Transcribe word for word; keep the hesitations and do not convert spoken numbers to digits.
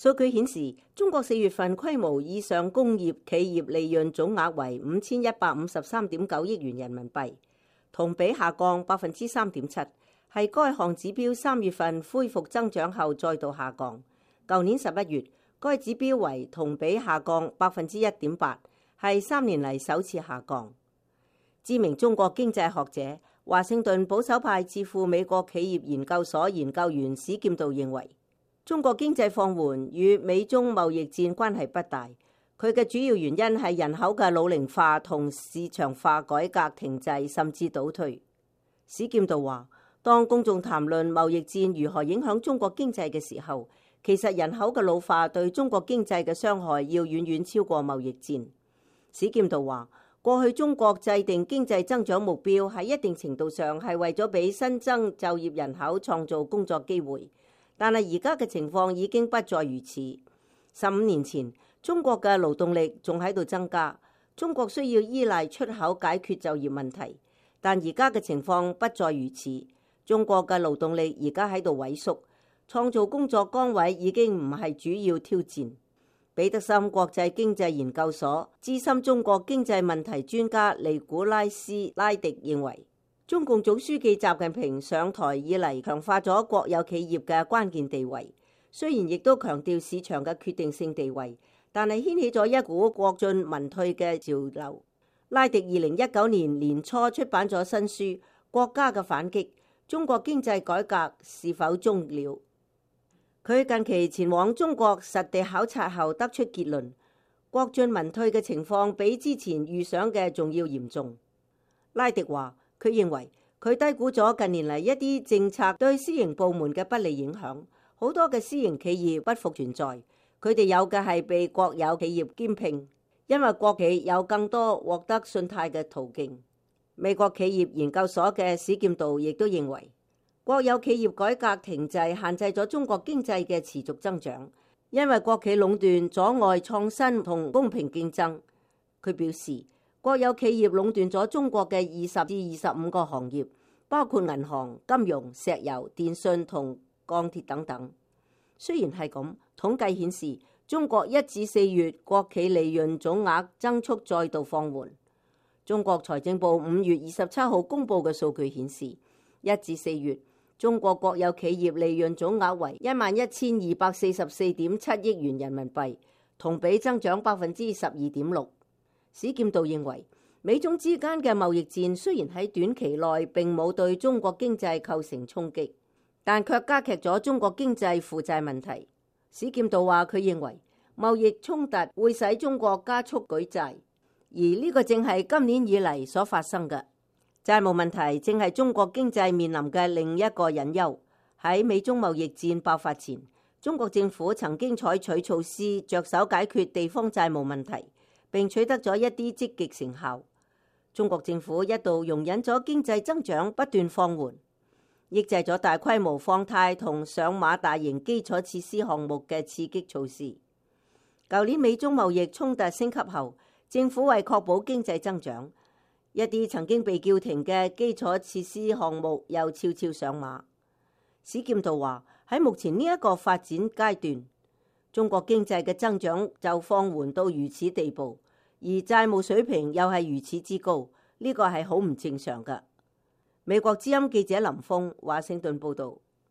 數據顯示，中國四月份規模以上工業企業利潤總額為五千一百五十三點九億元人民幣，同比下降百分之三點七，係該項指標三月份恢復增長後再度下降。舊年十一月，該指標為同比下降百分之一點八，係三年嚟首次下降。知名中國經濟學者、華盛頓保守派智庫美國企業研究所研究員史劍道認為，中國經濟放緩與美中貿易戰關係不大，佢嘅主要原因係人口嘅老齡化同市場化改革停滯甚至倒退。史劍道話，當公眾談論貿易戰如何影響中國經濟嘅時候，其實人口嘅老化對中國經濟嘅傷害要遠遠超過貿易戰。史劍道話，過去中國制定經濟增長目標喺一定程度上係為咗俾新增就業人口創造工作機會。但係而家嘅情況已經不再如此。十五年前，中國嘅勞動力仲喺度增加，中國需要依賴出口解決就業問題。但而家嘅情況不再如此，中國嘅勞動力而家喺度萎縮，創造工作崗位已經唔係主要挑戰。彼得森國際經濟研究所資深中國經濟問題專家尼古拉斯拉迪認為，中共總書記習近平上台以嚟，強化咗國有企業嘅關鍵地位，雖然亦都強調市場嘅決定性地位，但係掀起咗一股國進民退嘅潮流。拉迪二零一九年年初出版咗新書《國家嘅反擊：中國經濟改革是否終了》。佢近期前往中國實地考察後得出結論，國進民退嘅情況比之前預想嘅仲要嚴重。拉迪話，佢認為佢低估咗近年嚟一啲政策對私營部門嘅不利影響，好多嘅私營企業不復存在，佢哋有嘅係被國有企業兼併，因為國企有更多獲得信貸嘅途徑。美國企業研究所嘅史劍道亦都認為，國有企業改革停滯限制咗中國經濟嘅持續增長，因為國企壟斷阻礙創新同公平競爭。佢表示，國有企業壟斷咗中國嘅二十至二十五個行業，包括銀行、金融、石油、電信同鋼鐵等等。雖然係咁，統計顯示中國一至四月國企利潤總額增速再度放緩。中國財政部五月二十七號公布嘅數據顯示，一至四月中國國有企業利潤總額為一萬一千二百四十四點七億元人民幣，同比增長百分之十二點六。史劍道認為，美中之間嘅貿易戰雖然喺短期內並冇對中國經濟構成衝擊，但卻加劇咗中國經濟負債問題。史劍道話，佢認為貿易衝突會使中國加速舉債，而呢個正係今年以嚟所發生嘅。債務問題正係中國經濟面臨嘅另一個隱憂。喺美中貿易戰爆發前，中國政府曾經採取措施着手解決地方債務問題，並取得咗一啲積極成效。中國政府一度容忍咗經濟增長不斷放緩，抑制咗大規模放貸同上馬大型基礎設施項目嘅刺激措施。舊年美中貿易衝突升級後，政府為確保經濟增長，一啲曾經被叫停嘅基礎設施項目又悄悄上馬。史劍道話，喺目前呢一個發展階段，中國經濟嘅增長就放緩到如此地步，而債務水平又係如此之高，呢個係好唔正常㗎。美國之音記者林峰華盛頓報道。